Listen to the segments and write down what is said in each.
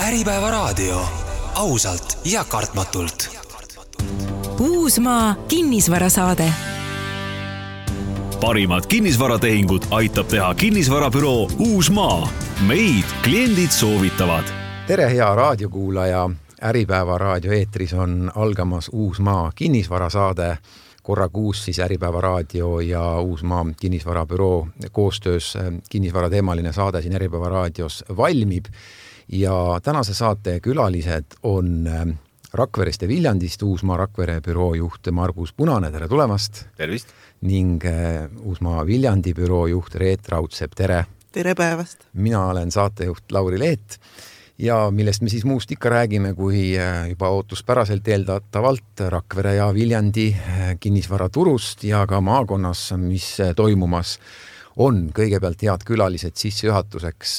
Äripäeva raadio. Ausalt ja kartmatult. Uusmaa kinnisvarasaade. Parimad kinnisvaratehingud aitab teha kinnisvarabüroo Uusmaa. Meid kliendid soovitavad. Tere, hea raadiokuulaja. Äripäeva raadio eetris on algamas Uusmaa kinnisvarasaade. Korra kuus siis Äripäeva raadio ja Uusmaa kinnisvarabüroo koostöös kinnisvarateemaline saade siin Äripäeva raadios valmib. Ja tänase saate külalised on Rakverest ja Viljandist Uusmaa Rakvere büroo juht Margus Punane, tere tulemast. Tervist. Ning Uusmaa Viljandi büroo juht Reet Raudsepp, tere. Tere päevast. Mina olen saatejuht Lauri Leet ja millest me siis muust ikka räägime, kui juba ootuspäraselt eeldatavalt Rakvere ja Viljandi kinnisvaraturust ja ka maakonnas, mis toimumas on. Kõigepealt head külalised sissejuhatuseks.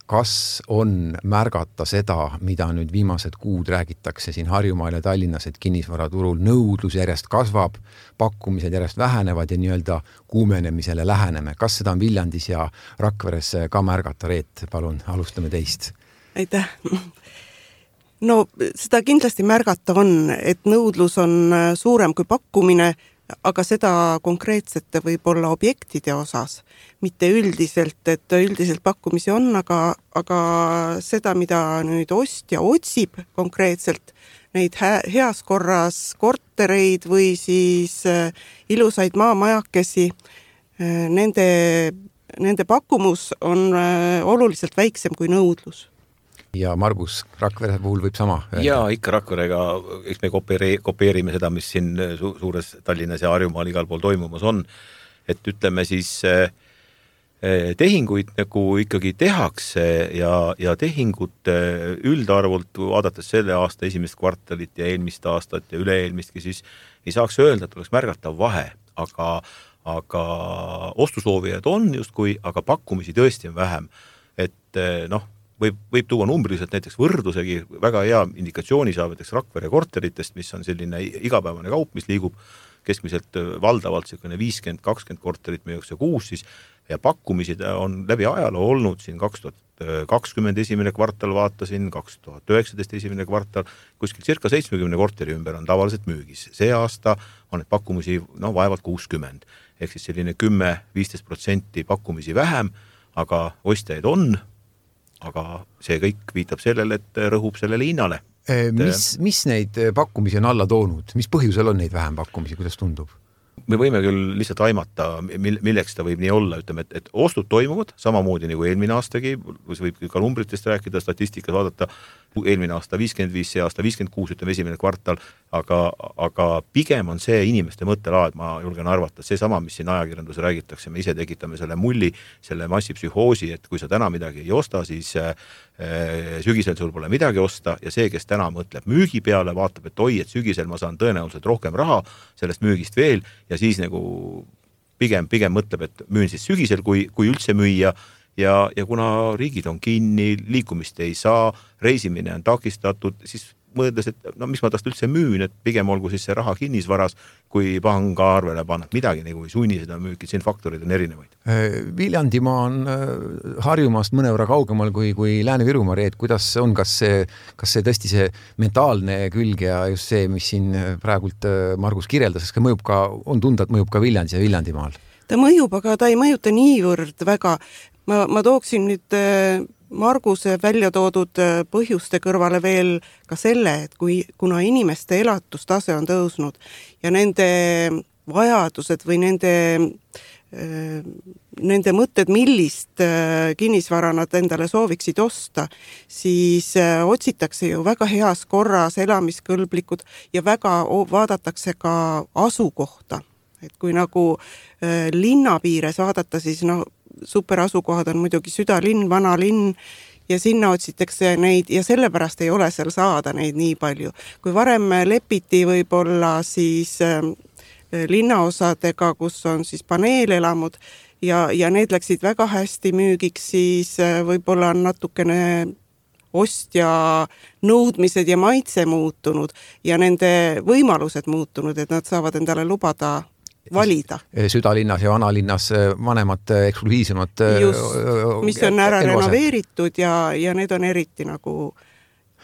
Kas on märgata seda, mida nüüd viimased kuud räägitakse siin Harjumaal ja Tallinnas, et kinnisvaraturul nõudlus järjest kasvab, pakkumised järjest vähenevad ja nii-öelda kuumenemisele läheneme? Kas seda on Viljandis ja Rakveres ka märgata? Reet, palun, alustame teist. Aitäh. No seda kindlasti märgata on, et nõudlus on suurem kui pakkumine, aga seda konkreetsete võib-olla objektide osas, mitte üldiselt, et üldiselt pakkumisi on, aga seda, mida nüüd ostja otsib konkreetselt, neid heas korras kortereid või siis ilusaid maamajakesi, nende pakkumus on oluliselt väiksem kui nõudlus. Ja Margus, Rakvere puhul võib sama öelda? Ja ikka Rakverega, eks me kopeerime seda, mis siin suures Tallinnas ja Harjumaal igal pool toimumas on. Et ütleme siis tehinguid nagu ikkagi tehakse ja tehingut üldarvult vaadates selle aasta esimest kvartalit ja eelmist aastat ja üle-eelmistki, siis ei saaks öelda, et oleks märgatav vahe, aga ostusoovijad on justkui, aga pakkumisi tõesti on vähem. Et võib tuua numbriliselt näiteks võrdlusegi, väga hea indikatsiooni saab näiteks Rakvere korteritest, mis on selline igapäevane kaup, mis liigub keskmiselt valdavalt 50-20 korterit müüakse kuus siis, ja pakkumisi on läbi ajaloo olnud siin 2020 esimene kvartal vaatasin, 2019 esimene kvartal, kuskil circa 70 korteri ümber on tavaliselt müügis. See aasta on need pakkumisi vaevalt 60, ehk siis selline 10-15% pakkumisi vähem, aga ostjaid on, aga see kõik viitab sellele, et rõhub sellele hinnale. Mis neid pakkumisi on alla toonud? Mis põhjusel on neid vähem pakkumisi? Kuidas tundub? Me võime küll lihtsalt aimata, milleks ta võib nii olla, ütleme, et ostud toimuvad samamoodi nagu eelmine aastagi, võib ka numbritest rääkida, statistikas vaadata, eelmine aasta 55, see aasta 56, ütleme esimene kvartal, aga pigem on see inimeste mõttelaad, ma julgen arvata, see sama, mis siin ajakirjandus räägitakse, me ise tekitame selle mulli, selle massipsühhoosi, et kui sa täna midagi ei osta, siis sügisel sul pole midagi osta ja see, kes täna mõtleb müügi peale, vaatab, et oi, et sügisel ma saan tõenäoliselt rohkem raha sellest müügist veel ja siis nagu pigem mõtleb, et müün siis sügisel, kui üldse müüa ja kuna riigid on kinni, liikumist ei saa, reisimine on takistatud, siis mõeldes, et mis ma tast üldse müün, et pigem olgu siis see raha kinnisvaras, kui panga arvele panna. Midagi nagu ei sunni seda müüki, siin faktorid on erinevaid. Viljandimaa on Harjumaast mõnevõrra kaugemal kui Lääne-Virumaa. Reet, kuidas on, kas see tõesti see mentaalne külg ja just see, mis siin praegult Margus kirjeldas, ka mõjub ka, on tunda, et mõjub ka Viljandis ja Viljandimaal? Ta mõjub, aga ta ei mõjuta niivõrd väga. Ma tooksin nüüd Marguse välja toodud põhjuste kõrvale veel ka selle, et kuna inimeste elatustase on tõusnud ja nende vajadused või nende mõtted, millist kinnisvara nad endale sooviksid osta, siis otsitakse ju väga heas korras elamiskõlblikud ja väga vaadatakse ka asukohta. Et kui nagu linna piires vaadata, siis superasukohad on muidugi südalinn, vanalinn ja sinna otsitakse neid ja sellepärast ei ole seal saada neid nii palju. Kui varem lepiti võib-olla siis linnaosadega, kus on siis paneelelamud ja need läksid väga hästi müügiks, siis võib-olla on natukene ostja nõudmised ja maitse muutunud ja nende võimalused muutunud, et nad saavad endale lubada valida. Südalinnas ja vanalinnas vanemad eksklusiivsemad just, mis on ära renoveeritud ja need on eriti nagu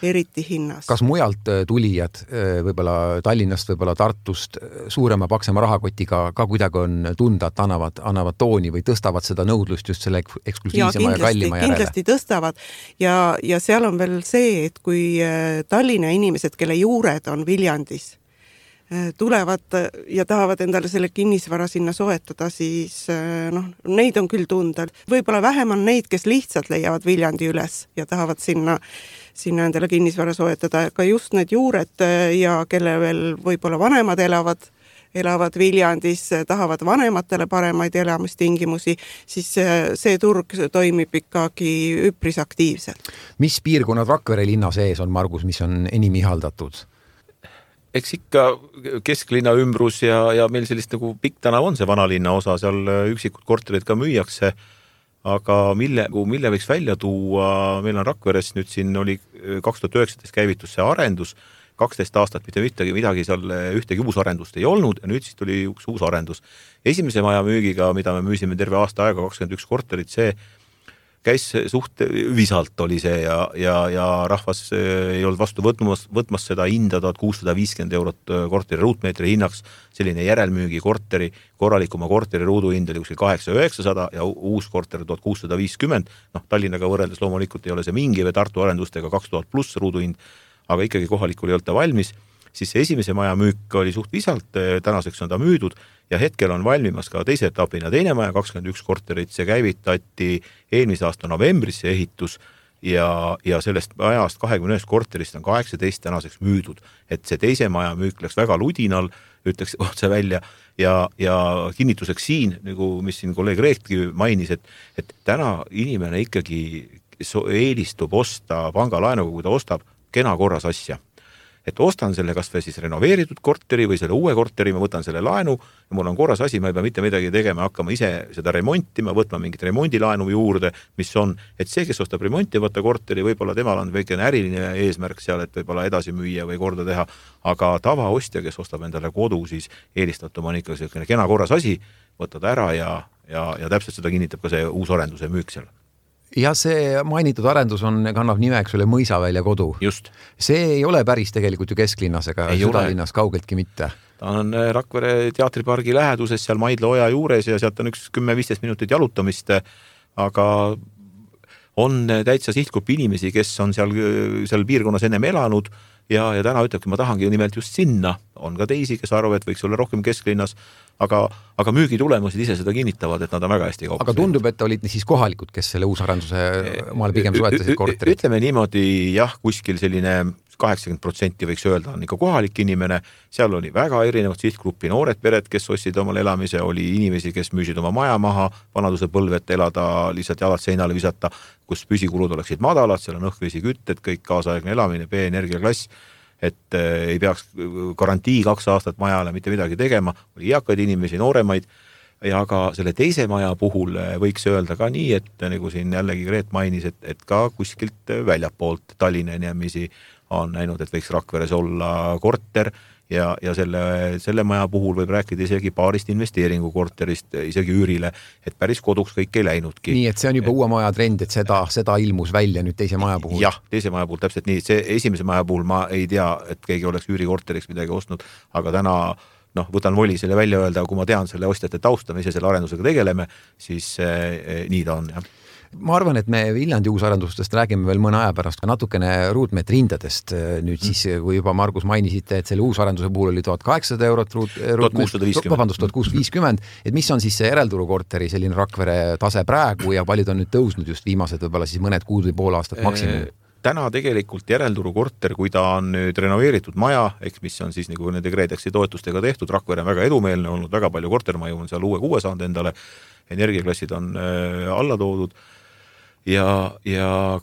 eriti hinnas. Kas mujalt tulijad, võib-olla Tallinnast, võib-olla Tartust suurema paksema rahakotiga ka kuidagi on tunda, et annavad tooni või tõstavad seda nõudlust just selle eksklusiivsema ja kallima järele? Kindlasti tõstavad ja seal on veel see, et kui Tallinna inimesed, kelle juured on Viljandis, tulevad ja tahavad endale selle kinnisvara sinna soetada, siis neid on küll tunda. Võib-olla vähem on neid, kes lihtsalt leiavad Viljandi üles ja tahavad sinna endale kinnisvara soetada, aga just need juured ja kelle veel võib-olla vanemad elavad Viljandis, tahavad vanematele paremaid elamistingimusi, siis see turg toimib ikkagi üpris aktiivselt. Mis piirkonnad Rakvere linna sees on, Margus, mis on enim ihaldatud? Eks ikka kesklinna ümbrus ja meil sellist nagu pikk tänav on see vanalinna osa, seal üksikud korterid ka müüakse, aga mille võiks välja tuua, meil on Rakveres nüüd siin oli 2019 käivitus see arendus, 12 aastat mitte midagi seal ühtegi uus arendust ei olnud ja nüüd siis tuli üks uus arendus. Esimese maja müügiga, mida me müüsime terve aasta aega, 21 korterit, see käis suht visalt oli see ja rahvas ei olnud vastu võtmas seda hinda 1650 eurot korteri ruutmeetri hinnaks, selline järelmüügi korteri, korralikuma korteri ruuduhind oli kuskil 800-900 ja uus korter 1650, Tallinnaga võrreldes loomulikult ei ole see mingi või Tartu arendustega 2000 pluss ruuduhind, aga ikkagi kohalikul ei olnud ta valmis, siis see esimese maja müük oli suht visalt, tänaseks on ta müüdud ja hetkel on valmimas ka teise etapina teine maja, 21 korterit, see käivitati eelmise aasta novembris see ehitus ja sellest majast 21 korterist on 18 tänaseks müüdud, et see teise maja müük läks väga ludinal, ütleks otse välja ja kinnituseks siin, nagu mis siin kolleeg Reetki mainis, et täna inimene ikkagi eelistub osta pangalaenuga, kui ta ostab kena korras asja. Et ostan selle kas või siis renoveeritud korteri või selle uue korteri, ma võtan selle laenu ja mul on korras asi, ma ei pea mitte midagi tegema, hakkama ise seda remontima, võtma mingit remondilaenu juurde, mis on, et see, kes ostab remontivata korteri, võib-olla temal on väikene äriline eesmärk seal, et võib-olla edasi müüa või korda teha, aga tavaostja, kes ostab endale kodu, siis eelistatum on ikka selline kena korras asi, võtta ta ära ja täpselt seda kinnitab ka see uus arenduse müük seal. Ja see mainitud arendus kannab nimeks üle Mõisavälja kodu. Just. See ei ole päris tegelikult ju kesklinnas ega südalinnas kaugeltki mitte. Ta on Rakvere teatripargi läheduses, seal Maidla oja juures ja sealt on üks 10-15 minutit jalutamist, aga on täitsa sihtgrupp inimesi, kes on seal piirkonnas ennem elanud ja täna ütlebki, ma tahangi nimelt just sinna. On ka teisi, kes arvavad, et võiks olla rohkem kesklinnas, aga müügi tulemused ise seda kinnitavad, et nad on väga hästi kaupas. Aga tundub, et olid siis kohalikud, kes selle uusarenduse maal pigem soetasid korterid? Ütleme niimoodi, jah, kuskil selline 80% võiks öelda on ikka kohalik inimene, seal oli väga erinevad sihtgruppi, noored pered, kes ostsid omal elamise, oli inimesi, kes müüsid oma maja maha, vanaduse põlvet elada, lihtsalt jalad seinale visata, kus püsikulud oleksid madalad, seal on õhkvesi kütted, kõik kaasaegne elamine, B-energiaklass, et ei peaks garantii 2 aastat majale mitte midagi tegema, oli eakaid inimesi, nooremaid ja ka selle teise maja puhul võiks öelda ka nii, et nagu siin jällegi Reet mainis, et ka kuskilt väljapoolt Tallinna inimesi on näinud, et võiks Rakveres olla korter ja selle maja puhul võib rääkida isegi paarist investeeringukorterist, isegi üürile, et päris koduks kõik ei läinudki. Nii, et see on juba uue maja trend, et seda ilmus välja nüüd teise maja puhul? Jah, teise maja puhul täpselt nii, see esimese maja puhul ma ei tea, et keegi oleks üürikorteriks midagi ostnud, aga täna võtan voli selle välja öelda, kui ma tean selle ostjate tausta, me ise selle arendusega tegeleme, siis nii ta on, jah. Ma arvan, et me Viljandi uusarendustest räägime veel mõne aja pärast natukene ruutmeetri hindadest. Nüüd siis, kui juba Margus mainisite, et selle uusarenduse puhul oli 1800 eurot 1650, et mis on siis see järelturu korteri selline Rakvere tase praegu ja paljud on nüüd tõusnud just viimased võib-olla siis mõned kuud või pool aastat maksimum? Täna tegelikult järelturu korter, kui ta on nüüd renoveeritud maja, mis on siis nagu nende Kreedexi toetustega tehtud, Rakvere on väga edumeelne olnud, väga palju kortermaju on seal uue 6 saanud endale, energiaklassid on alla toodud ja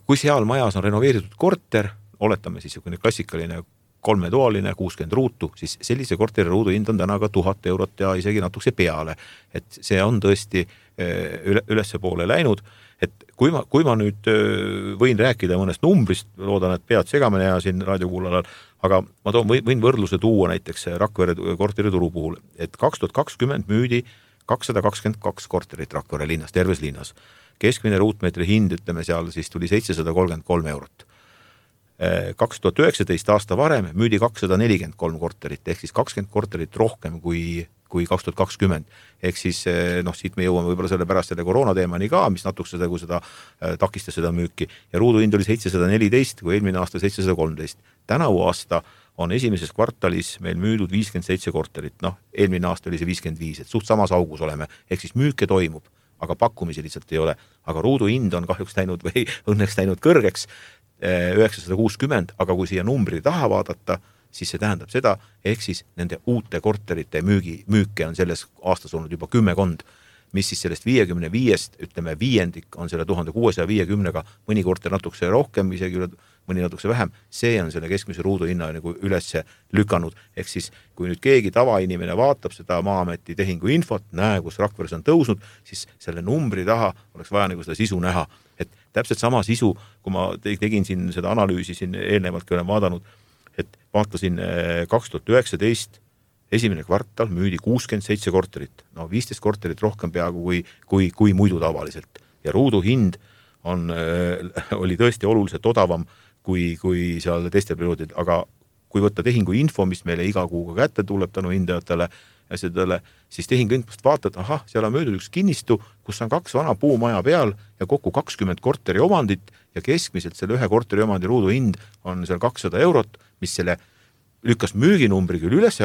kui seal majas on renoveeritud korter, oletame siis klassikaline 3-toaline, 60 ruutu, siis sellise korteri ruudu hind on täna ka 1000 eurot ja isegi natukese peale. Et see on tõesti ülesse poole läinud. Et kui ma nüüd võin rääkida mõnest numbrist, loodan, et pead segamine ja siin raadiokuulajal, aga ma võin võrdluse tuua näiteks Rakvere korteri turu puhul, et 2020 müüdi 222 korterit Rakvere linnas, terves linnas. Keskmine ruutmeetri hind, ütleme seal, siis tuli 733 eurot. 2019 aasta varem müüdi 243 korterit, ehk siis 20 korterit rohkem kui 2020. Ehk siis siit me jõuame võib-olla selle pärast selle koroona teemani ka, mis natuke seda takistas seda müüki. Ja ruuduhind oli 714, kui eelmine aasta 713. Tänavu aasta on esimeses kvartalis meil müüdud 57 korterit. Eelmine aasta oli see 55, et suht samas augus oleme. Ehk siis müüke toimub, aga pakkumisi lihtsalt ei ole. Aga ruuduhind on kahjuks läinud või õnneks läinud kõrgeks 960, aga kui siia numbri taha vaadata, siis see tähendab seda, ehk siis nende uute korterite müüke on selles aastas olnud juba 10, mis siis sellest 55, ütleme viiendik on selle 1650-ga, mõni korter natukese rohkem, isegi mõni natukese vähem, see on selle keskmise ruuduhinna nagu üles lükanud. Ehk siis, kui nüüd keegi tavainimene vaatab seda Maa-ameti tehingu infot, näe, kus Rakveres on tõusnud, siis selle numbri taha oleks vaja nagu seda sisu näha. Et täpselt sama sisu, kui ma tegin siin seda analüüsi siin eelnevalt, kui olen vaadanud, et vaatasin 2019 esimene kvartal müüdi 67 korterit, 15 korterit rohkem peaaegu kui muidu tavaliselt. Ja ruuduhind oli tõesti oluliselt odavam kui seal teistel perioodid, aga kui võtta tehingu info, mis meile iga kuuga kätte tuleb tänu hindajatele ja sedele, siis tehingu infost vaatad, seal on möödud üks kinnistu, kus on 2 vana puumaja peal ja kokku 20 korteri omandit ja keskmiselt selle ühe korteri omandi ruuduhind on seal 200 €, mis selle lükkas müüginumbri küll üles,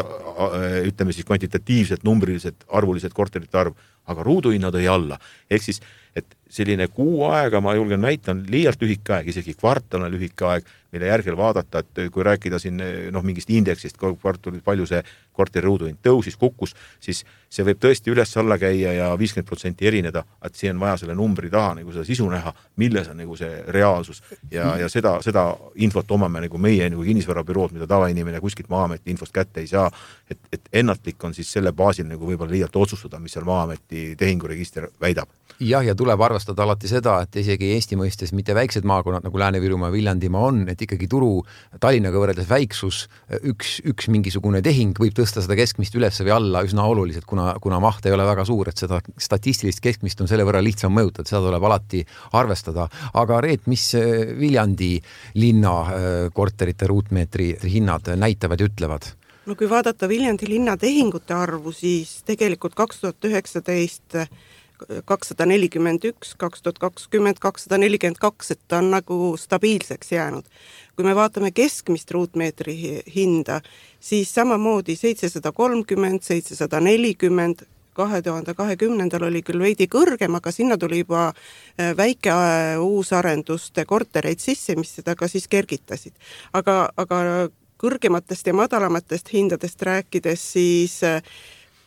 ütleme siis kvantitatiivselt, numbriliselt, arvuliselt korterite arv, aga ruuduhinna tõi alla. Ehk siis, et selline kuu aega, ma julgen väita, on liialt lühike aeg, isegi kvartal on lühike aeg, mille järgel vaadata, et kui rääkida siin mingist indeksist, kvartalit, palju see korteri ruuduhind tõusis, kukkus, siis see võib tõesti üles-alla käia ja 50% erineda, et see on vaja selle numbri taha nagu seda sisu näha, milles on nagu see reaalsus ja seda infot omame nagu meie nagu kinnisvarabürood, mida tavainimene kuskilt Maa-ameti infost kätte ei saa, et ennatlik on siis selle baasil nagu võib-olla liialt otsustada, mis seal Maa-ameti tehinguregister väidab. Ja tuleb arvestada alati seda, et isegi Eesti mõistes mitte väiksed maakonnad nagu Lääne-Virumaa, Viljandimaa on, et ikkagi turu Tallinnaga võrreldes väiksus, üks mingisugune tehing võib tõsta seda keskmist üles või alla üsna oluliselt, kuna maht ei ole väga suur, et seda statistilist keskmist on selle võrra lihtsam mõjutada, seda tuleb alati arvestada. Aga Reet, mis Viljandi linna korterite ruutmeetri hinnad näitavad ja ütlevad? No kui vaadata Viljandi linna tehingute arvu, siis tegelikult 2019 241, 2020 242, et ta on nagu stabiilseks jäänud. Kui me vaatame keskmist ruutmeetri hinda, siis samamoodi 730, 740, 2020 oli küll veidi kõrgem, aga sinna tuli juba väike uusarenduste kortereid sisse, mis seda ka siis kergitasid. Aga kõrgematest ja madalamatest hindadest rääkides, siis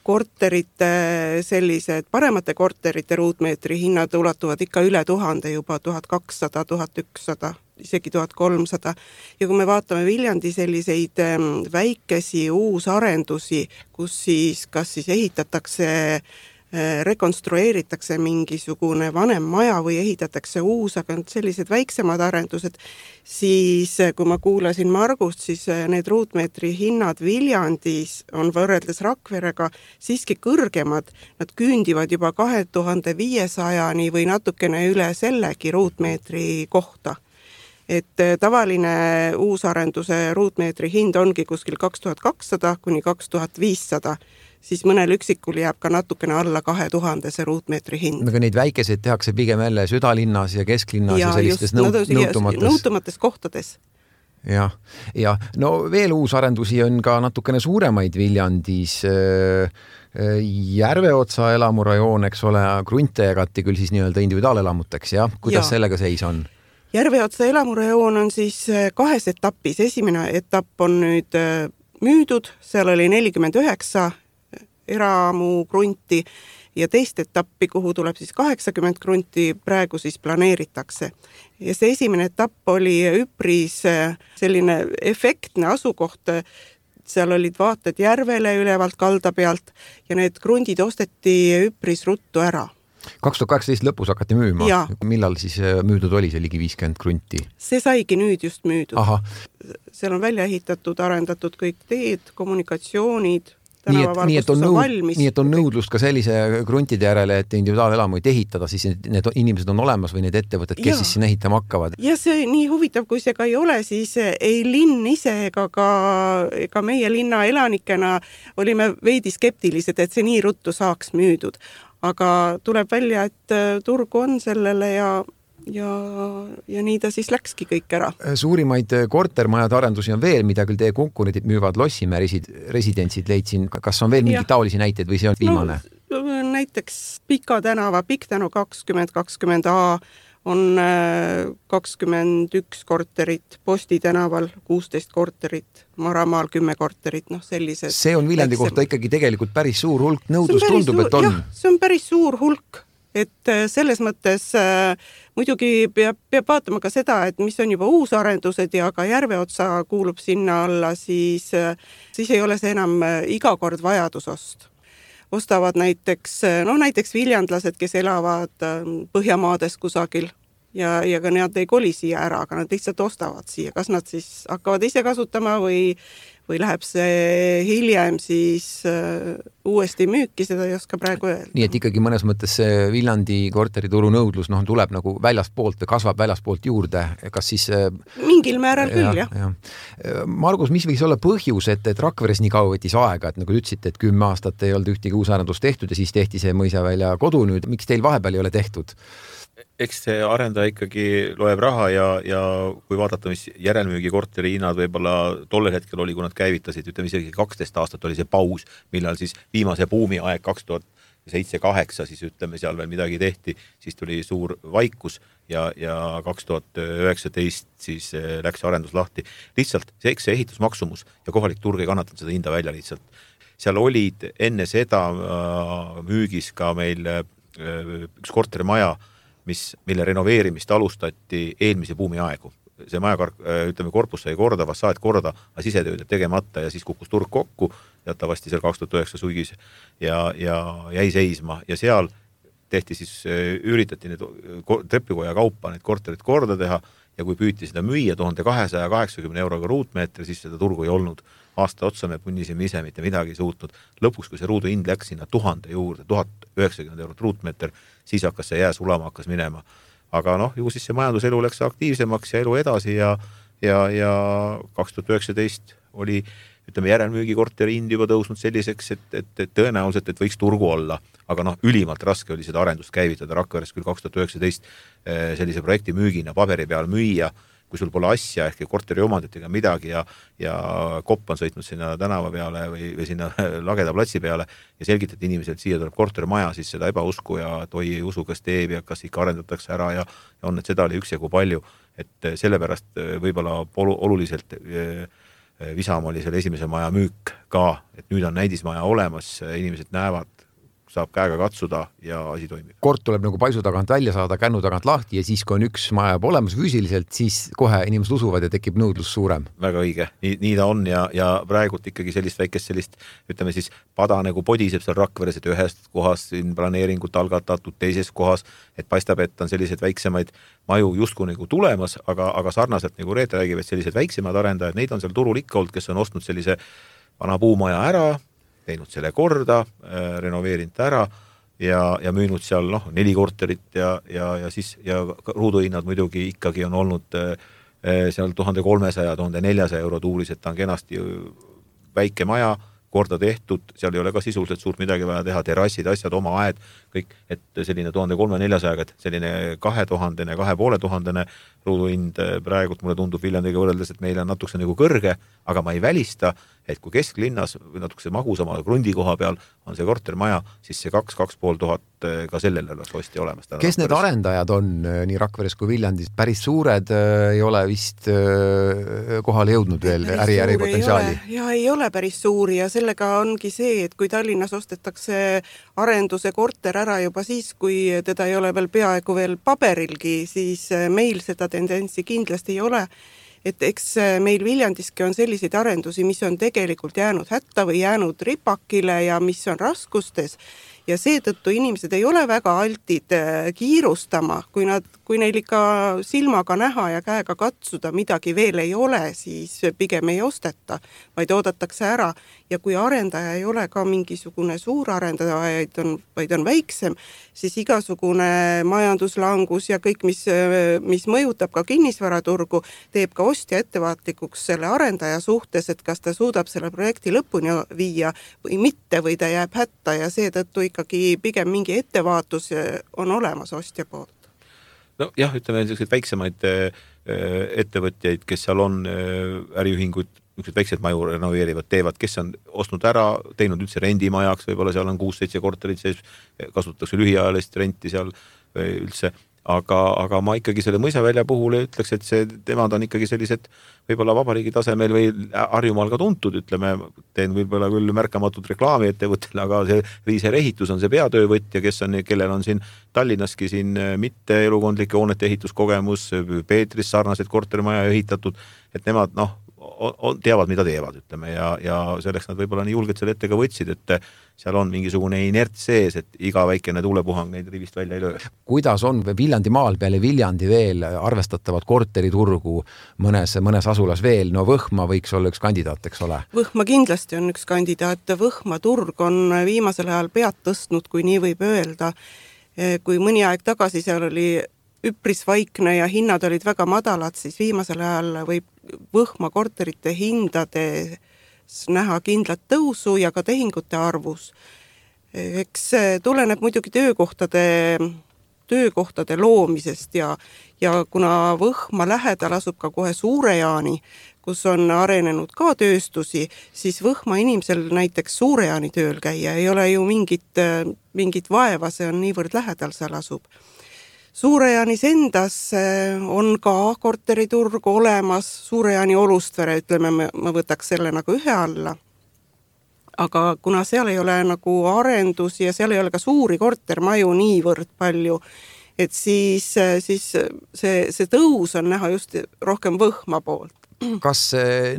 korterite, sellised paremate korterite ruutmeetri hinnad ulatuvad ikka üle 1000, juba 1200, 1100, isegi 1300. Ja kui me vaatame Viljandi selliseid väikesi uusarendusi, kus siis kas siis ehitatakse, rekonstrueeritakse mingisugune vanem maja või ehitatakse uus, aga sellised väiksemad arendused, siis kui ma kuulasin Margust, siis need ruutmeetri hinnad Viljandis on võrreldes Rakverega siiski kõrgemad. Nad küündivad juba 2500-ni või natukene üle sellegi ruutmeetri kohta. Et tavaline uusarenduse ruutmeetri hind ongi kuskil 2200 kuni 2500, siis mõnel üksikul jääb ka natukene alla 2000 see ruutmeetri hind. Aga neid väikeseid tehakse pigem jälle südalinnas ja kesklinnas ja sellistes nõutumates kohtades. Ja no veel uusarendusi on ka natukene suuremaid Viljandis. Järveotsa elamurajoon, eks ole, krunte jagati küll siis nii-öelda individuaalelamuteks, ja? Kuidas sellega seis on? Järveotsa elamurajoon on siis 2 etapis. Esimene etapp on nüüd müüdud, seal oli 49 eramu krunti ja teist etappi, kuhu tuleb siis 80 krunti, praegu siis planeeritakse. Ja see esimene etapp oli üpris selline efektne asukoht, seal olid vaated järvele ülevalt kalda pealt ja need krundid osteti üpris ruttu ära. 2018 lõpus hakati müüma. Ja. Millal siis müüdud oli see ligi 50 krunti? See saigi nüüd just müüdud. Aha. Seal on välja ehitatud, arendatud kõik teed, kommunikatsioonid, tänavavalgustus on valmis. Nii et on nõudlust ka sellise kruntide järele, et individuaalelamuid ehitada, siis need inimesed on olemas või need ettevõtted, kes siis sinna ehitama hakkavad. Ja see nii huvitav, kui see ka ei ole, siis ei linn ise ega meie linna elanikena olime veidi skeptilised, et see nii ruttu saaks müüdud. Aga tuleb välja, et turgu on sellele ja nii ta siis läkski kõik ära. Suurimaid kortermajade arendusi on veel, mida küll teie konkurendid müüvad, Lossimäe residentsid leidsin. Kas on veel mingi taolisi näiteid või see on viimane? No, näiteks Pika tänava, Pikk-tänu 2020A on 21 korterit, Posti tänaval 16 korterit, Maramaal 10 korterit, sellised. See on Viljandi kohta ikkagi tegelikult päris suur hulk, nõudlus tundub, et on. Jah, see on päris suur hulk, et selles mõttes muidugi peab vaatama ka seda, et mis on juba uusarendused ja ka Järveotsa kuulub sinna alla, siis ei ole see enam iga kord vajadusost. Ostavad näiteks viljandlased, kes elavad Põhjamaades kusagil ja ka nad ei koli siia ära, aga nad lihtsalt ostavad siia. Kas nad siis hakkavad ise kasutama või läheb see hiljem siis uuesti müüki, seda ei oska praegu öelda. Nii et ikkagi mõnes mõttes see Viljandi korterituru nõudlus tuleb nagu väljaspoolt või kasvab väljaspoolt juurde. Kas siis... Mingil määral küll, jah. Margus, mis võiks olla põhjus, et Rakveres nii kaua võttis aega, et nagu ütlesite, et 10 aastat ei olnud ühtegi uusarendust tehtud ja siis tehti see Mõisavälja kodu nüüd. Miks teil vahepeal ei ole tehtud? Eks see arendaja ikkagi loeb raha ja kui vaadata, mis järelmüügi korteri hinnad võib-olla tollel hetkel oli, kui nad käivitasid, ütleme isegi 12 aastat oli see paus, millal siis viimase buumi aeg 2007-2008, siis ütleme seal veel midagi tehti, siis tuli suur vaikus ja 2019 siis läks arendus lahti. Lihtsalt see ehitusmaksumus ja kohalik turg ei kannatanud seda hinda välja lihtsalt. Seal olid enne seda müügis ka meil üks korterimaja, mille renoveerimist alustati eelmise buumi aegu. See maja, ütleme, korpus sai korda, fassaad korda, aga sisetööd tegemata ja siis kukkus turg kokku, teatavasti seal 2009 suigis ja jäi seisma ja seal tehti siis, üritati need trepikoja kaupa need korterid korda teha ja kui püüti seda müüa 1280 euroga ruutmeetri, siis seda turgu ei olnud. Aasta otsa me punnisime ise mitte midagi suutnud. Lõpuks, kui see ruudu hind läks sinna 1000 juurde, 1090 eurot ruutmeeter, siis hakkas see jää sulama, hakkas minema. Aga ju siis see majanduselu läks aktiivsemaks ja elu edasi ja 2019 oli, ütleme, järelmüügi korteri hind juba tõusnud selliseks, et tõenäoliselt, et võiks turgu olla. Aga ülimalt raske oli seda arendust käivitada Rakveres küll 2019 sellise projekti müügina paberi peal müüa, kui sul pole asja ehk korteri omandit ega midagi ja kopp on sõitnud sinna tänava peale või sinna Lageda platsi peale ja selgitati inimesed, et siia tuleb korterimaja, siis seda ebausku ja toi ei usu, kas teeb ja kas ikka arendatakse ära ja on, et seda oli üksjagu palju, et sellepärast võib-olla oluliselt visam oli selle esimese maja müük ka, et nüüd on näidismaja olemas, inimesed näevad, saab käega katsuda ja asi toimib. Kort tuleb nagu paisu tagant välja saada, kännu tagant lahti ja siis, kui on üks maja olemas füüsiliselt, siis kohe inimesed usuvad ja tekib nõudlus suurem. Väga õige. Nii ta on ja praegult ikkagi sellist, ütleme siis, pada nagu podiseb seal Rakveres, et ühest kohas planeeringut algatatud, teises kohas, et paistab, et on sellised väiksemaid maju justkui nagu tulemas, aga sarnaselt nagu Reet räägib, et sellised väiksemad arendajad, neid on seal turul ikka olnud, kes on ostnud sellise vana puumaja ära, teinud selle korda, renoveerinud ära ja müünud seal 4 korterit ja ruuduhinnad muidugi ikkagi on olnud seal 1300-1400 euro tuulis, et ta on kenasti väike maja, korda tehtud, seal ei ole ka sisuliselt suurt midagi vaja teha, terrassid, asjad, oma aed, kõik, et selline 1300-400, et selline 2000-2500 ruuduhind praegult mulle tundub Viljandiga võrreldes, et meil on natukese nagu kõrge, aga ma ei välista, et kui kesklinnas või natukese magusama krundi koha peal on see kortermaja, siis see 2-2500 ka sellele oleks osti olemas. Kes need arendajad on nii Rakveres kui Viljandis? Päris suured ei ole vist kohale jõudnud veel äri potentsiaali? Ja ei ole päris suuri ja sellega ongi see, et kui Tallinnas ostetakse arenduse korter ära juba siis, kui teda ei ole veel peaaegu veel paberilgi, siis meil seda tendentsi kindlasti ei ole. Et eks meil Viljandiski on selliseid arendusi, mis on tegelikult jäänud hätta või jäänud ripakile ja mis on raskustes ja seetõttu inimesed ei ole väga altid kiirustama, kui neil ikka silmaga näha ja käega katsuda midagi veel ei ole, siis pigem ei osteta, vaid oodatakse ära. Ja kui arendaja ei ole ka mingisugune suur arendaja, vaid on väiksem, siis igasugune majanduslangus ja kõik, mis mõjutab ka kinnisvaraturgu, teeb ka ostja ettevaatlikuks selle arendaja suhtes, et kas ta suudab selle projekti lõpuni viia või mitte, või ta jääb hätta ja seetõttu ikkagi pigem mingi ettevaatus on olemas ostja poolt. No jah, ütleme selliseid väiksemaid ettevõtjaid, kes seal on äriühinguid, väiksed maju renoveerivad, teevad, kes on ostnud ära, teinud üldse rendimajaks, võib-olla seal on 6-7 korterit sees, kasutatakse lühiajalist renti seal üldse, aga ma ikkagi selle mõisavälja puhul ütleks, et temad on ikkagi sellised võib-olla vabariigi tasemel või Harjumaal ka tuntud, ütleme, teen võib-olla küll märkamatud reklaami ettevõttele, aga see Riiser ehitus on see peatöövõtja, kellel on siin Tallinnaski siin mitte elukondlike hoonete ehituskogemus, Peetris sarnaseid korterimaja ehitatud, et nemad teavad, mida teevad, ütleme, ja selleks nad võib-olla nii julged selle ette ka võtsid, et seal on mingisugune inert sees, et iga väikene tuulepuhang neid rivist välja ei löö. Kuidas on Viljandi maal peale Viljandi veel arvestatavat korteriturgu mõnes asulas veel? No Võhma võiks olla üks kandidaat, eks ole? Võhma kindlasti on üks kandidaat. Võhma turg on viimasel ajal pead tõstnud, kui nii võib öelda. Kui mõni aeg tagasi seal oli üpris vaikne ja hinnad olid väga madalad, siis viimasel ajal võib Võhma korterite hindades näha kindlat tõusu ja ka tehingute arvus. Eks tuleneb muidugi töökohtade loomisest ja kuna Võhma lähedal asub ka kohe Suure-Jaani, kus on arenenud ka tööstusi, siis Võhma inimesel näiteks Suure-Jaani tööl käia ei ole ju mingit vaeva, see on niivõrd lähedal seal asub. Suure-Jaanis endas on ka korteriturg olemas, Suure-Jaani Olustvere, ütleme, ma võtaks selle nagu ühe alla. Aga kuna seal ei ole nagu arendusi ja seal ei ole ka suuri kortermaju niivõrd palju, et siis see tõus on näha just rohkem Võhma poolt. Kas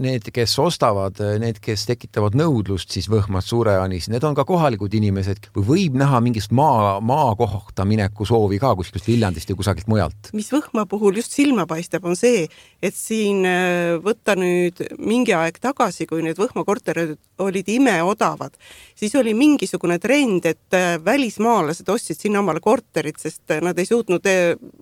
need, kes ostavad, need, kes tekitavad nõudlust siis Võhmas Suure-Jaanis, need on ka kohalikud inimesed või võib näha mingist maa kohta mineku soovi ka kuskilt Viljandist ja kusagilt mujalt? Mis Võhma puhul just silma paistab on see, et siin võtta nüüd mingi aeg tagasi, kui need Võhma korterid olid imeodavad, siis oli mingisugune trend, et välismaalased ostsid sinna omale korterid, sest nad ei suutnud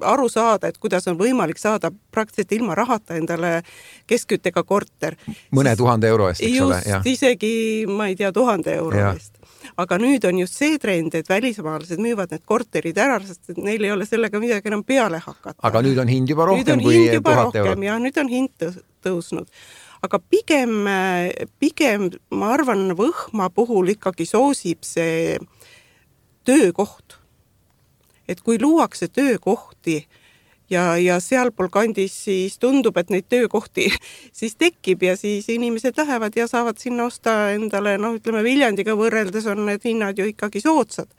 aru saada, et kuidas on võimalik saada praktiliselt ilma rahata endale keskküttega korter. Mõne 1000 euro eest, eks ole? Just, isegi, ma ei tea, 1000 euro eest. Aga nüüd on just see trend, et välismaalased müüvad need korterid ära, sest neil ei ole sellega midagi enam peale hakata. Aga nüüd on hind juba rohkem kui 1000 euro. Ja nüüd on hind tõusnud. Aga pigem ma arvan, Võhma puhul ikkagi soosib see töökoht. Et kui luuakse töökohti ja sealpool kandis siis tundub, et neid töökohti siis tekib ja siis inimesed lähevad ja saavad sinna osta endale, ütleme Viljandiga võrreldes on need hinnad ju ikkagi soodsad.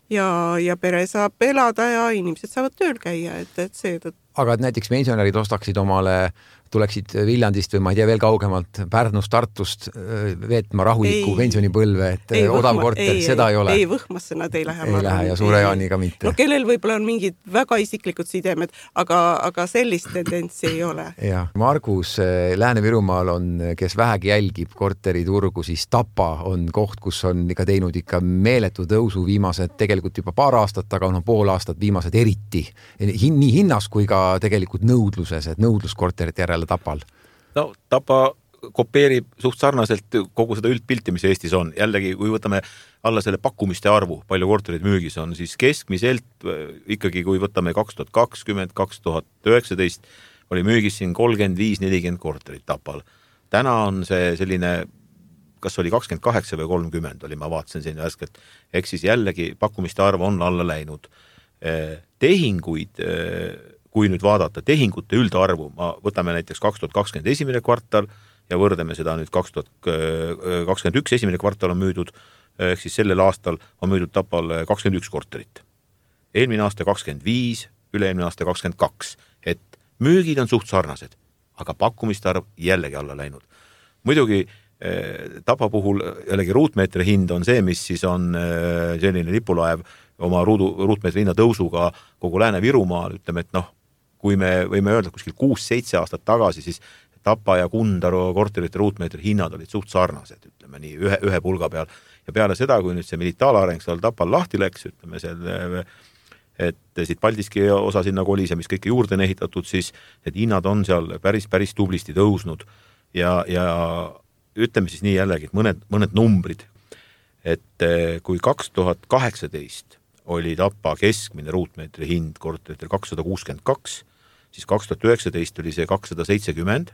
Ja pere saab elada ja inimesed saavad tööl käia, et seetõttu. Aga et näiteks pensionärid ostaksid omale, tuleksid Viljandist või ma ei tea veel kaugemalt Pärnust, Tartust veetma rahuliku pensionipõlve, et odav korter, seda ei ole. Ei, Võhmasse nad ei lähe. Ei lähe ja Suure-Jaaniga mitte. No kellel võib-olla on mingid väga isiklikud sidemed, aga sellist tendentsi ei ole. Ja, Margus, Lääne-Virumaal on, kes vähegi jälgib korteriturgu, siis Tapa on koht, kus on ikka teinud ikka meeletu tõusu viimased, tegelikult juba paar aastat, aga pool aastat viimased eriti. Nii hinnas kui ka tegelikult nõudluses, et nõudluskorterite järele Tapal. No Tapa kopeerib suht sarnaselt kogu seda üldpilti, mis Eestis on. Jällegi, kui võtame alla selle pakkumiste arvu, palju korterid müügis on, siis keskmiselt ikkagi, kui võtame 2020, 2019, oli müügis siin 35-40 korterit Tapal. Täna on see selline, kas oli 28 või 30, oli, ma vaatasin siin värskelt, ehk siis jällegi pakkumiste arv on alla läinud. Tehinguid, kui nüüd vaadata tehingute üldarvu, võtame näiteks 2020 esimene kvartal ja võrdame seda nüüd 2021 esimene kvartal on müüdud, ehk siis sellel aastal on müüdud Tapal 21 korterit. Eelmine aasta 25, üle-eelmine aasta 22, et müügid on suht sarnased, aga pakkumiste arv jällegi alla läinud. Muidugi Tapa puhul jällegi ruutmeetri hind on see, mis siis on selline lipulaev oma ruutmeetri hinna tõusuga kogu Lääne-Virumaal, ütleme, et kui me võime öelda kuskil 6-7 aastat tagasi, siis Tapa ja Kundaru korterite ruutmeetri hinnad olid suht sarnased, ütleme nii, ühe pulga peal. Ja peale seda, kui nüüd see militaalareng seal Tapal lahti läks, ütleme seal, et siit Paldiski osa sinna kolis ja mis kõike juurde on ehitatud, siis need hinnad on seal päris tublisti tõusnud ja ütleme siis nii jällegi, et mõned numbrid, et kui 2018 oli Tapa keskmine ruutmeetri hind korteritel 262, siis 2019 oli see 270,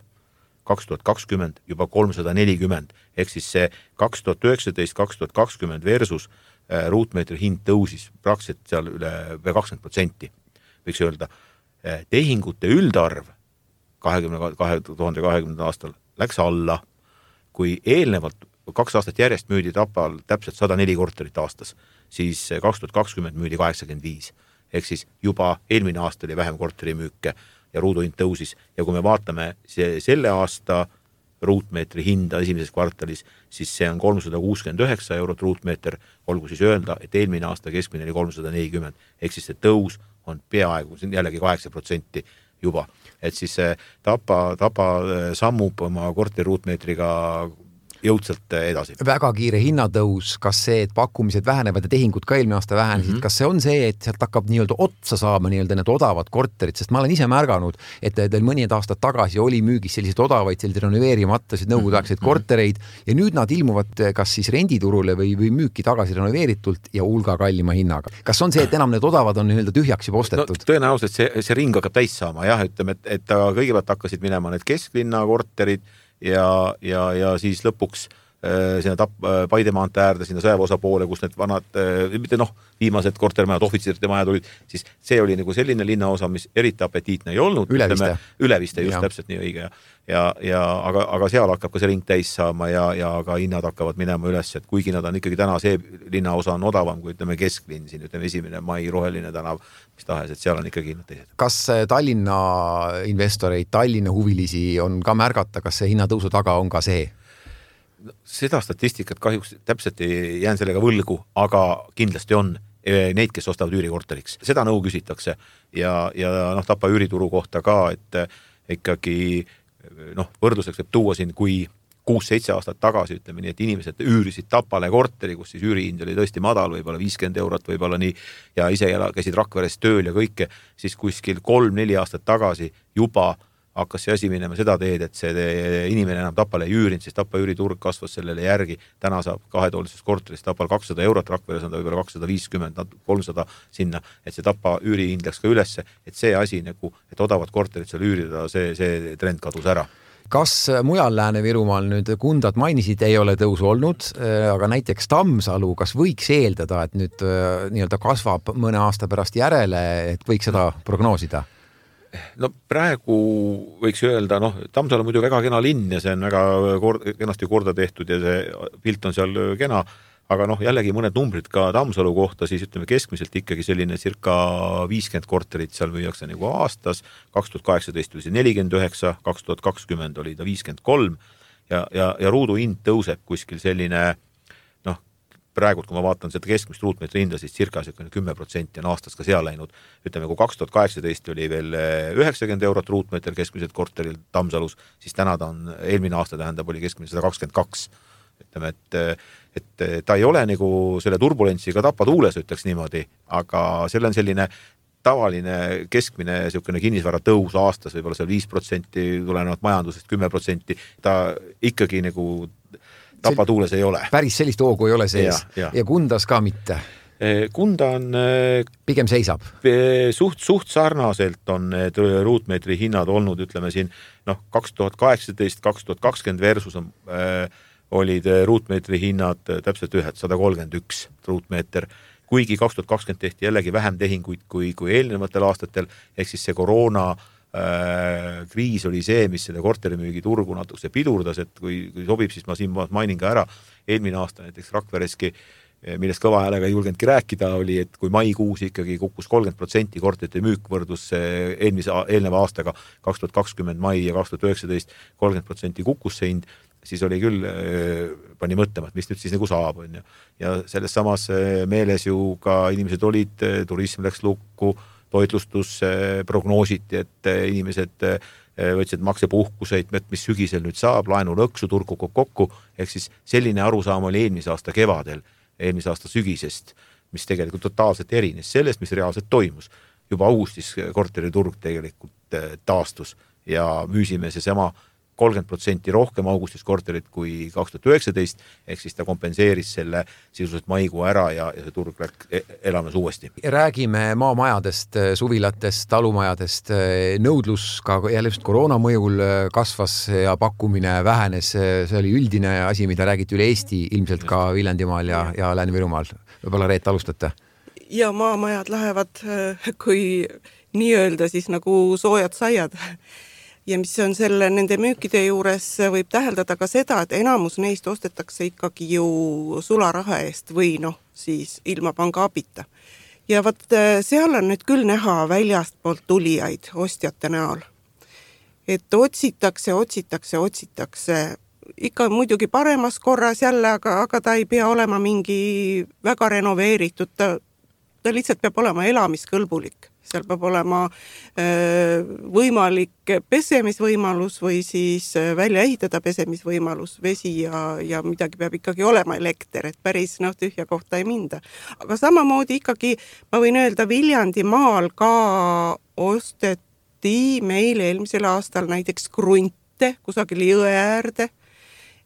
2020 juba 340, ehk siis see 2019-2020 versus ruutmeetri hind tõusis praktiliselt seal üle 20%, võiks öelda. Tehingute üldarv 2020. aastal läks alla, kui eelnevalt 2 aastat järjest müüdi Tapal täpselt 104 korterit aastas, siis 2020 müüdi 85, ehk siis juba eelmine aasta oli vähem korterimüüke ja ruuduhind tõusis. Ja kui me vaatame selle aasta ruutmeetri hinda esimeses kvartalis, siis see on 369 eurot ruutmeeter, olgu siis öelda, et eelmine aasta keskmine oli 340, ehk siis see tõus on peaaegu, see on jällegi 8% juba. Et siis Tapa sammub oma korteri ruutmeetriga jõudsalt edasi. Väga kiire hinnatõus, kas see, et pakkumised vähenevad ja tehingud ka eelmine aasta vähenesid, kas see on see, et sealt hakkab nii-öelda otsa saama nii-öelda need odavad korterid, sest ma olen ise märganud, et teil mõned aastad tagasi oli müügis sellised odavaid, sellised renoveerimatasid nõukogudeaegseid kortereid ja nüüd nad ilmuvad kas siis renditurule või müüki tagasi renoveeritult ja hulga kallima hinnaga. Kas on see, et enam need odavad on nii-öelda tühjaks juba ostetud? No, tõenäoliselt see ring hakkab täis saama, jah, ütleme, et kõigepealt hakkasid minema need kesklinna korterid ja siis lõpuks sinna Paidemaante äärde, sinna sõjaväeosa poole, kus need vanad, mitte viimased kortermajad, ohvitsirite majad olid, siis see oli nagu selline linnaosa, mis eriti apetiitne ei olnud. Üleviste, just täpselt nii õige. Aga seal hakkab ka see ring täis saama ja ka hinnad hakkavad minema üles, et kuigi nad on ikkagi täna see linnaosa on odavam, kui ütleme kesklinn, siin ütleme 1. mai roheline tänav, mis tahes, et seal on ikkagi hinnad teised. Kas Tallinna investoreid, Tallinna huvilisi on ka märgata, kas see hinnatõusu taga on ka see? Seda statistikat kahjuks täpselt ei jään sellega võlgu, aga kindlasti on neid, kes ostavad üürikorteriks. Seda nõu küsitakse ja Tapa üürituru kohta ka, et ikkagi võrdluseks võib tuua siin, kui 6-7 aastat tagasi, ütleme nii, et inimesed üürisid Tapale korteri, kus siis üürihind oli tõesti madal, võib-olla 50 eurot, võib-olla nii, ja ise käisid Rakveres tööl ja kõike, siis kuskil 3-4 aastat tagasi juba hakkas see asi minema seda teed, et see inimene enam Tapale ei üürinud, siis Tapa üüriturg kasvas sellele järgi. Täna saab 2-toolises korteris Tapal 200 eurot, Rakveres on ta võib-olla 250, 300 sinna, et see Tapa üürihind läks ka ülesse, et see asi, et odavad korterid seal üürida, see trend kadus ära. Kas mujal Lääne-Virumaal nüüd Kundat mainisid, ei ole tõusu olnud, aga näiteks Tammsalu, kas võiks eeldada, et nüüd nii-öelda kasvab mõne aasta pärast järele, et võiks seda prognoosida? No praegu võiks öelda, Tammsalu on muidu väga kena linn ja see on väga kenasti korda tehtud ja see pilt on seal kena, aga jällegi mõned numbrid ka Tammsalu kohta, siis ütleme keskmiselt ikkagi selline circa 50 korterit seal müüakse nagu aastas, 2018 oli see 49, 2020 oli ta 53 ja ruudu hind tõuseb kuskil selline praegu, kui ma vaatan seda keskmist ruutmeetri hinda, siis circa 10% on aastas ka seal läinud. Ütleme, kui 2018 oli veel 90 eurot ruutmeeter keskmiselt korteril Tammsalus, siis täna ta on, eelmine aasta tähendab, oli keskmiselt 122. Ütleme, et ta ei ole nagu selle turbulentsiga Tapa tuules, ütleks niimoodi, aga selle on selline tavaline keskmine kinnisvara tõus aastas, võib-olla seal 5% tulenevalt majandusest, 10%. Ta ikkagi nagu Tapa tuules ei ole. Päris sellist hoogu ei ole sees ja Kundas ka mitte. Kunda on pigem seisab. Suht sarnaselt on need ruutmeetri hinnad olnud, ütleme siin 2018-2020 versus olid ruutmeetri hinnad täpselt 131 ruutmeeter, kuigi 2020 tehti jällegi vähem tehinguid kui eelnevatel aastatel, ehk siis see koroona kriis oli see, mis selle korterimüügi turgu natuke pidurdas, et kui sobib, siis ma siin mainin ka ära. Eelmine aasta näiteks Rakvereski, millest kõva häälega ei julgenudki rääkida, oli, et kui maikuus ikkagi kukkus 30% korterite müük võrdus eelneva aastaga 2020 mai ja 2019 30% kukkus see hind, siis oli küll, pani mõtlema, et mis nüüd siis nagu saab, on ju. Ja selles samas meeles ju ka inimesed olid, turism läks lukku, toitlustus prognoositi, et inimesed võtsid maksepuhkuseid, mis sügisel nüüd saab, laenu lõksu, turgu kokku, ehk siis selline arusaam oli eelmise aasta kevadel, eelmise aasta sügisest, mis tegelikult totaalselt erines sellest, mis reaalselt toimus. Juba augustis korteriturg tegelikult taastus ja müüsime seesama 30% rohkem augustis korterit kui 2019, ehk siis ta kompenseeris selle sisuliselt maikuu ära ja see turg elamas uuesti. Räägime maamajadest, suvilatest, talumajadest. Nõudlus ka jälle just koroona mõjul kasvas ja pakkumine vähenes. See oli üldine asi, mida räägiti üle Eesti, ilmselt ka Viljandimaal ja Lääne-Virumaal. Võib-olla Reet alustate? Ja maamajad lähevad, kui nii öelda, siis nagu soojad saiad. Ja mis on selle nende müükide juures, võib täheldada ka seda, et enamus neist ostetakse ikkagi ju sularaha eest või siis ilma panga abita. Ja seal on nüüd küll näha väljast poolt tulijaid ostjate näol. Et otsitakse. Ikka muidugi paremas korras jälle, aga ta ei pea olema mingi väga renoveeritud. Ta lihtsalt peab olema elamiskõlbulik. Seal peab olema võimalik pesemisvõimalus või siis välja ehitada pesemisvõimalus, vesi ja midagi peab ikkagi olema elekter, et päris tühja kohta ei minda. Aga samamoodi ikkagi, ma võin öelda, Viljandimaal ka osteti meil eelmisel aastal näiteks krunte kusagil jõe äärde,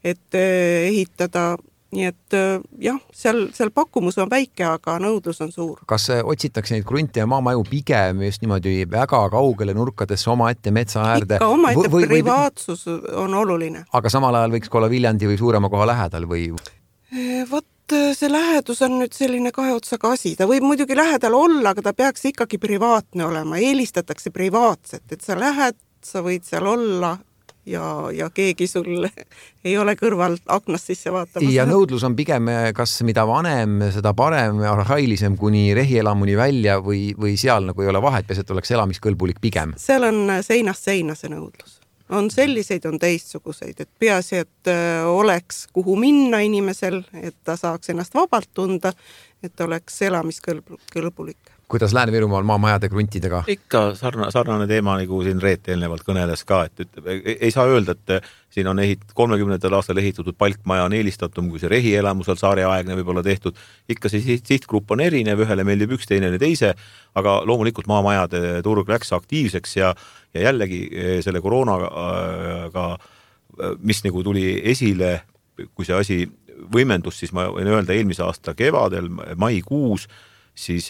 et ehitada. Nii et jah, seal pakkumus on väike, aga nõudlus on suur. Kas otsitakse neid krunte ja maamaju pigem just niimoodi väga kaugele nurkadesse oma ette metsa äärde? Ikka oma ette privaatsus on oluline. Aga samal ajal võiks olla Viljandi või suurema koha lähedal või? See lähedus on nüüd selline kahe otsaga asi. Ta võib muidugi lähedal olla, aga ta peaks ikkagi privaatne olema. Eelistatakse privaatset, et sa lähed, sa võid seal olla ja keegi sul ei ole kõrval aknast sisse vaatamas. Ja nõudlus on pigem, kas mida vanem, seda parem, arhailisem kuni rehielamuni välja või seal nagu ei ole vahet, peas, et oleks elamiskõlbulik pigem? Seal on seinast seina see nõudlus. On selliseid, on teistsuguseid, et peaasi, et oleks kuhu minna inimesel, et ta saaks ennast vabalt tunda, et oleks elamiskõlbulik. Kuidas Lääne-Virumaal maamajade kruntidega? Ikka sarnane teema, nagu siin Reet eelnevalt kõneles ka, et ei saa öelda, et siin on 30. aastal ehitatud palkmaja on eelistatum, kui see rehielamusel saareaegne võib olla tehtud. Ikka see sihtgrupp on erinev, ühele meeldib üks, teine teise, aga loomulikult maamajade turg läks aktiivseks ja jällegi selle koroonaga, mis nagu tuli esile, kui see asi võimendus, siis ma võin öelda eelmise aasta kevadel, maikuus, siis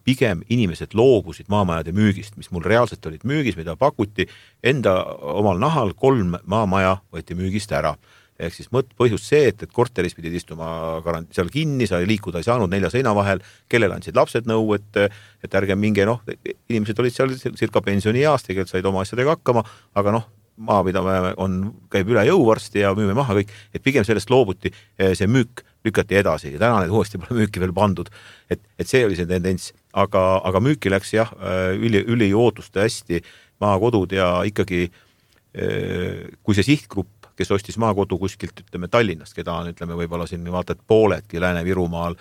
pigem inimesed loobusid maamajade müügist, mis mul reaalselt olid müügis, mida pakuti enda omal nahal 3 maamaja võeti müügist ära. Ehk siis põhjus see, et korteris pidid istuma seal kinni, sa liikuda ei saanud 4 seina vahel, kellel andsid lapsed nõu, et ärge minge, inimesed olid seal circa pensionieast, tegelikult said oma asjadega hakkama, aga maapidamine käib üle jõu varsti ja müüme maha kõik, et pigem sellest loobuti, see müük lükati edasi ja täna need uuesti pole müüki veel pandud, et see oli see tendents, aga müüki läks jah, üli ootuste hästi maakodud ja ikkagi kui see sihtgrupp, kes ostis maakodu kuskilt, ütleme Tallinnast, keda on, ütleme, võib-olla siin vaatad pooledki Lääne-Virumaal,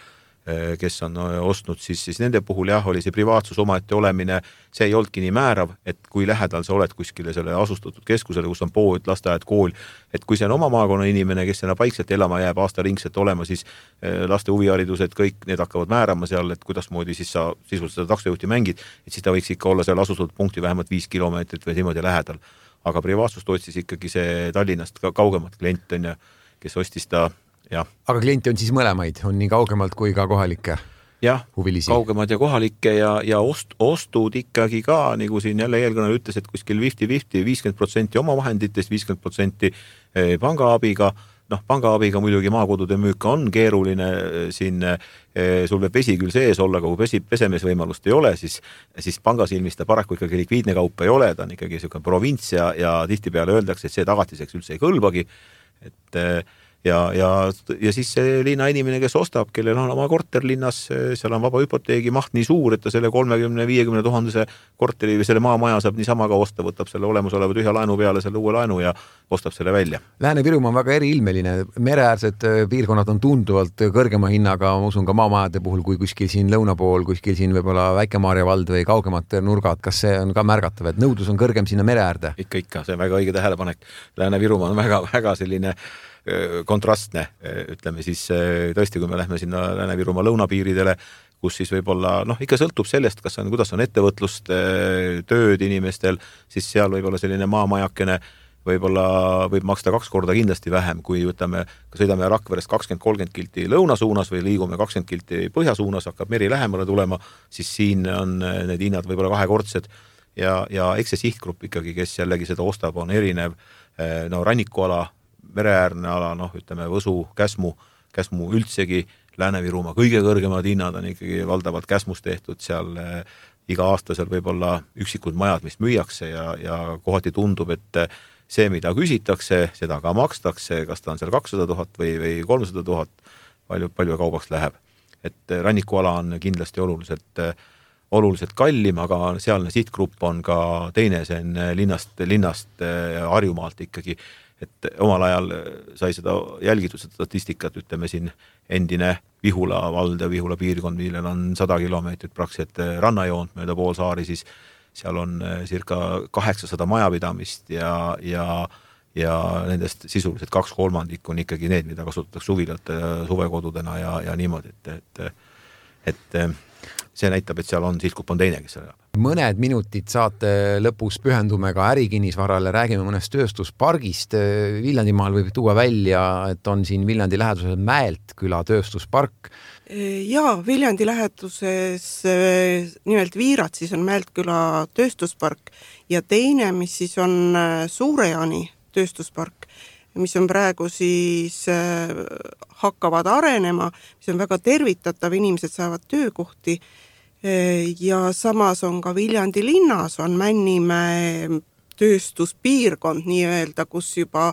kes on ostnud, siis nende puhul jah, oli see privaatsus omaette olemine, see ei olnudki nii määrav, et kui lähedal sa oled kuskile selle asustatud keskusele, kus on pood, lasteaed, kool, et kui see on oma maakonna inimene, kes sinna paikselt elama jääb aastaringselt olema, siis laste huviharidused, kõik need hakkavad määrama seal, et kuidas moodi siis sa sisuliselt seda taksojuhti mängid, et siis ta võiks ikka olla seal asustatud punkti vähemalt 5 kilomeetrit või niimoodi lähedal. Aga privaatsust otsis ikkagi see Tallinnast kaugemat klient on ja kes ostis ta. Ja. Aga klienti on siis mõlemaid, on nii kaugemalt kui ka kohalikke huvilisi? Jah, kaugemad ja kohalikke ja ostud ikkagi ka, nagu siin jälle eelkõnel ütles, et kuskil 50-50, 50% oma vahenditest, 50% pangaabiga. Pangaabiga muidugi maakodude müük on keeruline, siin sul võib vesi küll sees olla, aga kui pesemisvõimalust ei ole, siis pangasilmis ta paraku ikkagi likviidne kaup ei ole, ta on ikkagi selline provints ja tihtipeale öeldakse, et see tagatiseks üldse ei kõlbagi, et ja siis see linna inimene, kes ostab, kellel on oma korter linnas, seal on vaba hüpoteegi maht nii suur, et ta selle 30-50 000 korteri või selle maamaja saab niisama ka osta, võtab selle olemusoleva tühja laenu peale selle uue laenu ja ostab selle välja. Lääne-Virumaa on väga eriilmeline, mereäärsed piirkonnad on tunduvalt kõrgema hinnaga, ma usun ka maamajade puhul, kui kuskil siin lõuna pool, kuskil siin võib-olla Väike-Maarja vald või kaugemad nurgad, kas see on ka märgatav, et nõudlus on kõrgem sinna mereäärde? Ikka, see on väga õige tähelepanek. Lääne-Virumaa on väga selline kontrastne, ütleme siis tõesti, kui me lähme sinna Lääne-Virumaa lõunapiiridele, kus siis võib-olla, ikka sõltub sellest, kuidas on ettevõtlust, tööd inimestel, siis seal võib-olla selline maamajakene võib maksta 2 korda kindlasti vähem, kui sõidame Rakverest 20-30 kilti lõuna suunas või liigume 20 kilti põhja suunas, hakkab meri lähemale tulema, siis siin on need hinnad võib-olla 2-kordsed ja eks see sihtgrupp ikkagi, kes jällegi seda ostab, on erinev, rannikuala, mereäärne ala, Võsu, Käsmu üldsegi, Lääne-Virumaa kõige kõrgemad hinnad on ikkagi valdavalt Käsmus tehtud, seal iga aasta seal võib-olla üksikud majad, mis müüakse ja kohati tundub, et see, mida küsitakse, seda ka makstakse, kas ta on seal 200 000 või 300 000, palju kaubaks läheb. Et rannikuala on kindlasti oluliselt kallim, aga sealne sihtgrupp on ka teine, see on linnast Harjumaalt ikkagi, et omal ajal sai seda jälgitud, seda statistikat, ütleme siin endine Vihula vald ja Vihula piirkond, millel on 100 kilomeetrit praktiliselt rannajoont mööda poolsaari, siis seal on circa 800 majapidamist ja nendest sisuliselt 2/3 on ikkagi need, mida kasutatakse suvilate suvekodudena ja niimoodi, et see näitab, et seal on sihtgrupp on teine, kes seal elab. Mõned minutid saate lõpus pühendume ka ärikinnisvarale, räägime mõnest tööstuspargist. Viljandimaal võib tuua välja, et on siin Viljandi läheduses Mäelt küla tööstuspark. Jaa, Viljandi läheduses nimelt Viiratsis on Mäelt küla tööstuspark ja teine, mis siis on Suurejaani tööstuspark, mis on praegu siis hakkavad arenema, mis on väga tervitatav, inimesed saavad töökohti ja samas on ka Viljandi linnas on Männimäe tööstuspiirkond nii-öelda, kus juba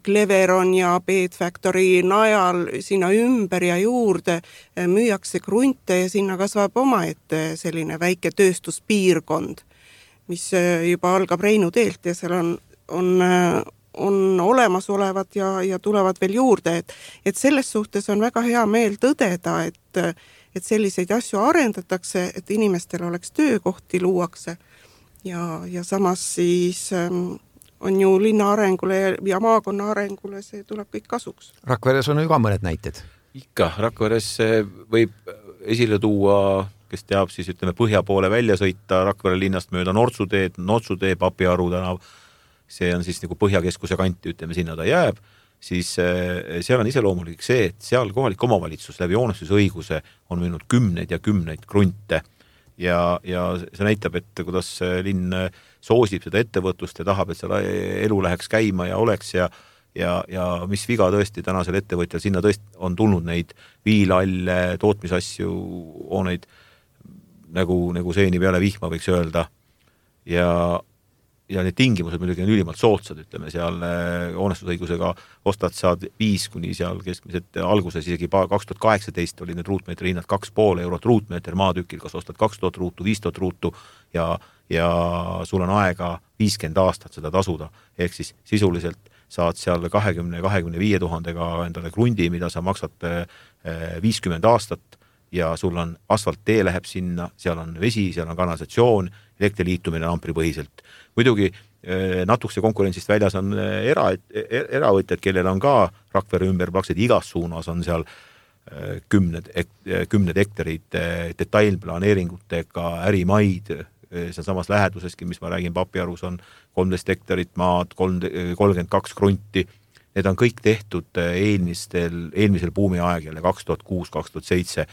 Cleveron ja Bed Factory najal sinna ümber ja juurde müüakse krunte ja sinna kasvab omaette selline väike tööstuspiirkond, mis juba algab Reinu teelt ja seal on olemasolevad ja tulevad veel juurde, et selles suhtes on väga hea meel tõdeda, et selliseid asju arendatakse, et inimestel oleks töökohti luuakse ja samas siis on ju linna arengule ja maakonna arengule, see tuleb kõik kasuks. Rakveres on ju ka mõned näited. Ikka, Rakveres võib esile tuua, kes teab, siis ütleme põhja poole välja sõita Rakvere linnast mööda Nortsutee, Papiaru tänav, see on siis nagu põhjakeskuse kanti, ütleme, sinna ta jääb, siis seal on iseloomulik see, et seal kohalik omavalitsus läbi hoonestusõiguse on müünud kümneid ja kümneid krunte ja see näitab, et kuidas linn soosib seda ettevõtlust ja tahab, et seal elu läheks käima ja oleks ja mis viga tõesti tänasel ettevõtjal, sinna tõesti on tulnud neid viilalle tootmisasju, hooneid nagu seeni peale vihma võiks öelda ja need tingimused muidugi on ülimalt soodsad, ütleme seal hoonestusõigusega ostad saad 5 kuni seal keskmiselt alguses, isegi 2018 oli need ruutmeetri hinnad 2,5 eurot ruutmeeter maatükil, kas ostad 2000 ruutu, 5000 ruutu ja sul on aega 50 aastat seda tasuda, ehk siis sisuliselt saad seal 20-25 000-ga endale krundi, mida sa maksad 50 aastat ja sul on asfalttee läheb sinna, seal on vesi, seal on kanalisatsioon, elektriliitumine ampripõhiselt. Muidugi natukese konkurentsist väljas on eravõtjad, kellel on ka Rakvere ümber praktiliselt igas suunas on seal kümned hektarid detailplaneeringutega ärimaid, seal samas läheduseski, mis ma räägin, Papiarus on 13 hektarit maad, 32 krunti. Need on kõik tehtud eelmisel buumi aegjal 2006-2007,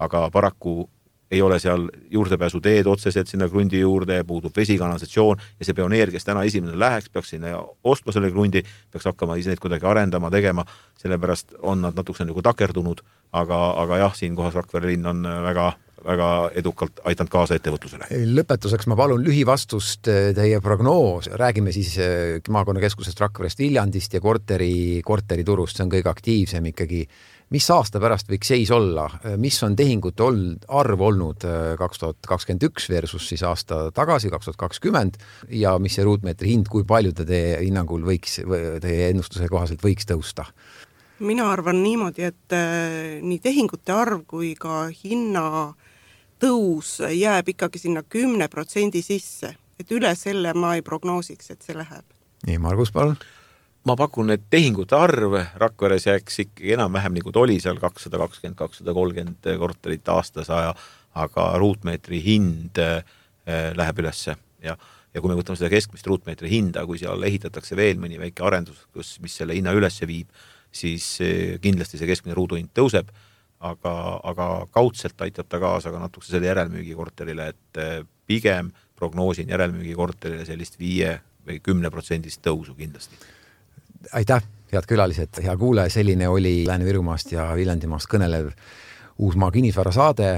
aga paraku ei ole seal juurdepääsu teed otseselt sinna krundi juurde, puudub vesikanalisatsioon ja see pioneer, kes täna esimene läheks, peaks sinna ostma selle krundi, peaks hakkama ise neid kuidagi arendama, tegema, sellepärast on nad natukese nagu takerdunud, aga jah, siin kohas Rakvere linn on väga väga edukalt aidanud kaasa ettevõtlusele. Lõpetuseks ma palun lühivastust teie prognoos. Räägime siis maakonnakeskusest Rakverest, Viljandist ja korteri turust. See on kõige aktiivsem ikkagi. Mis aasta pärast võiks seis olla? Mis on tehingute arv olnud 2021 versus siis aasta tagasi 2020 ja mis see ruutmeetri hind, kui palju ta teie hinnangul võiks, teie ennustuse kohaselt võiks tõusta? Mina arvan niimoodi, et nii tehingute arv kui ka hinna tõus jääb ikkagi sinna 10% sisse, et üle selle ma ei prognoosiks, et see läheb. Nii, Margus, palun. Ma pakun, et tehingute arv Rakveres jääks ikkagi enam-vähem nagu ta oli seal 220-230 korterit aastas, aga ruutmeetri hind läheb ülesse ja kui me võtame seda keskmist ruutmeetri hinda, kui seal ehitatakse veel mõni väike arendus, mis selle hinna ülesse viib, siis kindlasti see keskmine ruuduhind tõuseb, aga kaudselt aitab ta kaasa ka natuke selle järelmüügi korterile, et pigem prognoosin järelmüügi korterile sellist 5 või 10% tõusu kindlasti. Aitäh, head külalised, hea kuulaja, selline oli Lääne-Virumaast ja Viljandimaast kõnelev Uusmaa kinnisvara saade.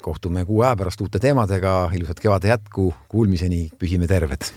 Kohtume 6 pärast uute teemadega, ilusat kevade jätku, kuulmiseni, püsime terved!